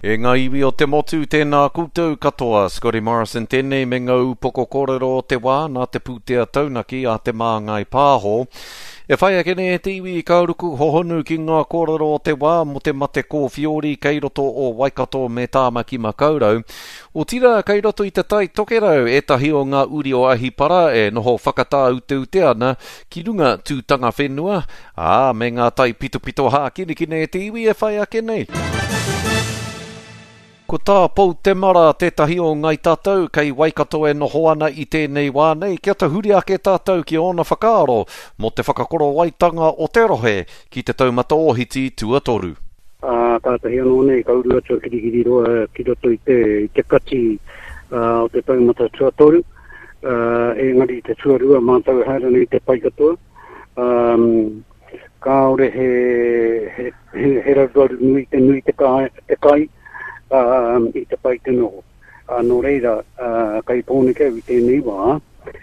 E ngā iwi o te motu, tēnā koutou katoa. Scotty Morrison tēnei me ngā upoko kōrero o te wā nā te pūtea taunaki a Te Māngai Pāho. E whai ake nei e te iwi ka ruku hohonu ki ngā kōrero o te wā mō te mate kōwhiori kei roto o Waikato me Tāmaki Makaurau. Otirā kei roto i te Tai Tokerau ētahi o ngā uri o Ahipara e noho whakatāuteute ana ki runga tūtanga whenua, ā, me ngā taipitopito hākinakina e te iwi e whai ake nei. Ko tā Pou Temara tētahi o Ngai Tātou kei Waikato e noho ana i tēnei wā nei kia tahuri ake tātou ki ōna whakaaro mō te whakakorowaitanga o te rohe ki te taumata ōhiti tuatoru. Ā, kātahi anō nei ka uru atu a Kirikiriroa ki roto i te, i te kati o te taumata tuatoru, ā, engari i te tuarua mātou e haere ana i te pai katoa. Ā, kāore he, he, he, he raruraru nui te nui te kai, te kai ā, i te pai te noho. Ā, nō reira, ā, kei Pōneke au i tēnei wā,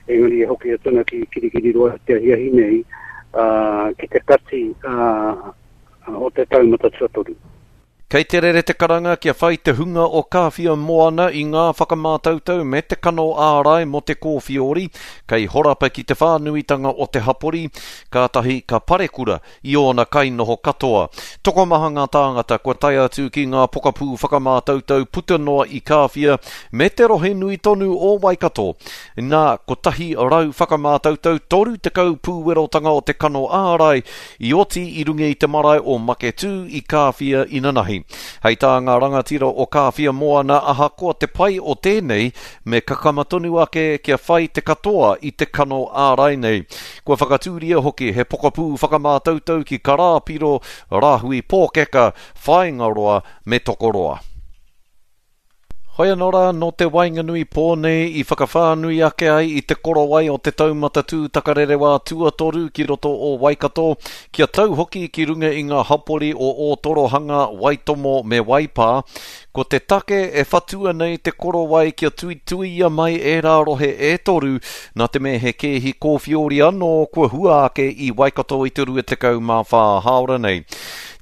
engari e hoki atu ana ki Kirikiriroa te ahiahi nei, ā, ki te kati, ā, o te taumata tuatoru. Kei te rere te karanga kia whai te hunga o Kāwhia Moana i ngā whakamātautau me te kano ārai mō te kōwhiori, kei horapa ki te whānuitanga o te hapori, kātahi ka parekura i ōna kainoho katoa. Tokomaha ngā tāngata kua tae atu ki ngā pokapū whakamātautau puta noa i Kāwhia me te rohe nui tonu o Waikato. Nā, 100 whakamātautau, 30 pūwerotanga o te kano ārai i oti i runga i te marae o Maketū i Kāwhia inanahi. Hei tā ngā rangatira o Kāwhia Moana ahakoa te pai o tēnei, me kakama tonu ake kia whai te katoa i te kano ārai nei. Kua whakatūria hoki he pokapū whakamātautau ki Karāpiro, Rāhui Pōkeka, Whāingaroa me Tokoroa. Hoi anō rā, nō te waenganui pō nei i whakawhānui ake ai i te korowai o te taumata tūtakarerewā tuatoru ki roto o Waikato, kia tau hoki ki runga i ngā hapori o Ōtorohanga, Waitomo me Waipā. Ko te take e whatua nei te korowai kia tuituia mai ērā rohe e toru, nā te mea he kēhi kōwhiori anō kua hua ake i Waikato i te 24 hāora nei.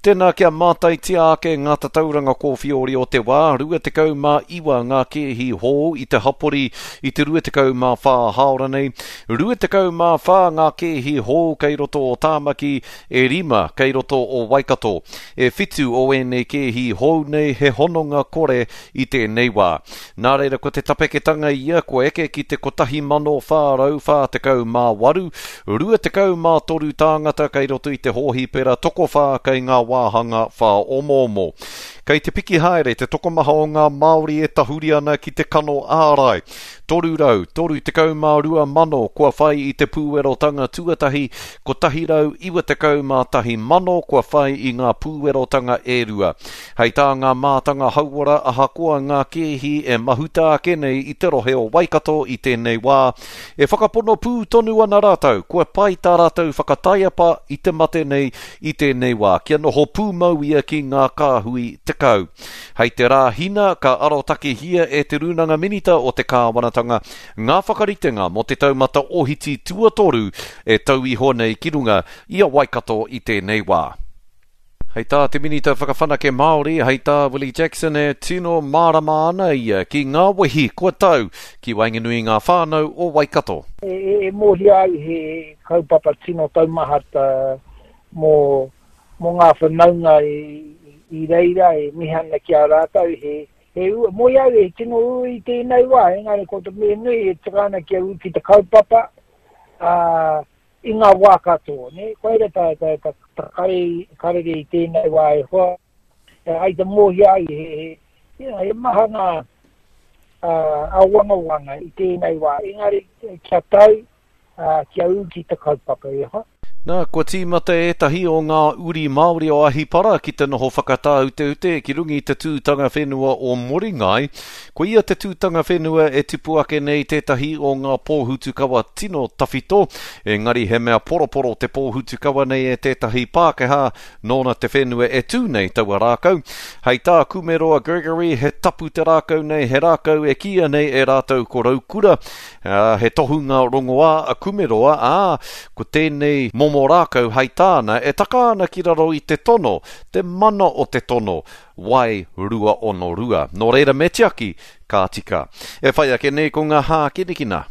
Tēnā kia mātaitia ake ngā tatauranga kōwhiori o te wā, 29 ngā kēhi hou i te hapori i te 24 hāora nei, 24 ngā kēhi hou kei roto o Tāmaki, e rima kei roto o Waikato. E whitu o ēnei kēhi hou nei he hononga kore i tēnei wā. Nā reira ko te tapeketanga ia kua eke ki te 1448, 23 tāngata kei roto i te hōhipera, tokowhā kei ngā wāhanga whāomoomo. Kei te piki haere te tokomaha o ngā Māori e tahuri ana ki te kano ārai. 332 mano kua whai i te pūwerotanga tuatahi, 191 mano kua whai i ngā pūwerotanga e rua. Hei tā ngā mātanga hauora ahakoa ngā kēhi e mahuta ake nei i te rohe o Waikato i tēnei wā, e whakapono pū tonu ana rātou kua pai tā rātou whakataiapa i te mate nei i tēnei wā kia noho pūmau ia ki ngā kāhui 10. Hei te Rāhina ka arotakehia e Te Rūnanga Minita o te Kāwanatanga ngā whakaritenga mō te taumata ohiti tuatoru e tau iho nei ki runga i a Waikato i tēnei wā. Hei tā te Minita Whakawhanake Māori, hei tā Willie Jackson e tino mārama ana ia ki ngā wehi kua tau ki waenganui i ngā whānau o Waikato. E mōhio ai he kaupapa tino taumaha mō ngā whanaunga i reira e mihi ana ki a rātou he mōhio au he tino ū i tēnei wā engari ko te mea nui e tika ana kia ū ki te kaupapa, ā, I ngā wā katoa, nē? Koira tā, tā, tā, tā kare, karere i tēnei wā e hoa, e ai te mōhio ai, he, he, you know, he maha ngā uh, āwangawanga i tēnei wā, engari kia tau, uh, kia ū ki te kaupapa, e hoa. Nā, kua tīmata ētahi o ngā uri Māori o Ahipara ki te noho whakatāuteute ki runga i te tūtanga whenua o Moringai. Koia te tūtanga whenua e tipu ake nei tētahi o ngā pōhutukawa tino tawhito, engari he mea poroporo te pōhutukawa nei e tētahi Pākehā nōna te whenua e tū nei taua rākau. Hei tā Kumeroa Gregory, he tapu te rākau nei, he rākau e kīia nei e rātou ko Raukura, ā, he tohunga rongoā a Kumeroa, ā, ko tēnei momo. momo rākau hei tāna e taka ana ki raro i te tono, te mana o te tono, Wai 262. Nō reira me tiaki, ka tika. E whai ake nei ko ngā hākinakina.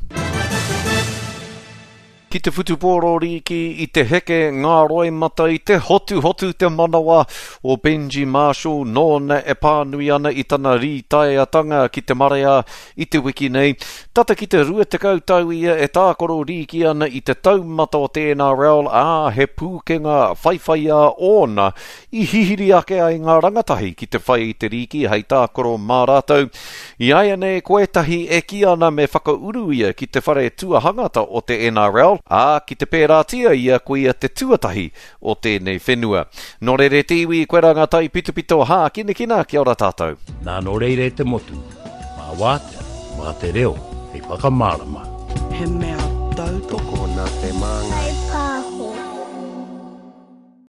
Ki te whutupōro rīki i te heke ngā roimata i te hotuhotu te manawa o Benji Marshall nōna e pānui ana i tana rītaeatanga ki te marea i te wiki nei. Tata ki te 20 tau ia e tākaro rīki ana i te taumata o te NRL, ā, he pūkenga whaiwhaiā ōna I hihiri ake ai ngā rangatahi ki te whai i te rīki hei tākaro mā rātou. I āianei ko ētahi e kī ana me whakauru ia ki te whare tuahangata o te NRL, ā, ki te pērātia ia ko ia te tuatahi o tēnei whenua. Nō reira e te iwi, koirā ngā taipitopito hākinakina, kia ora tātou. Nā nō reira e te motu, mā wātea, mā te reo hei whakamārama. He mea tautoko.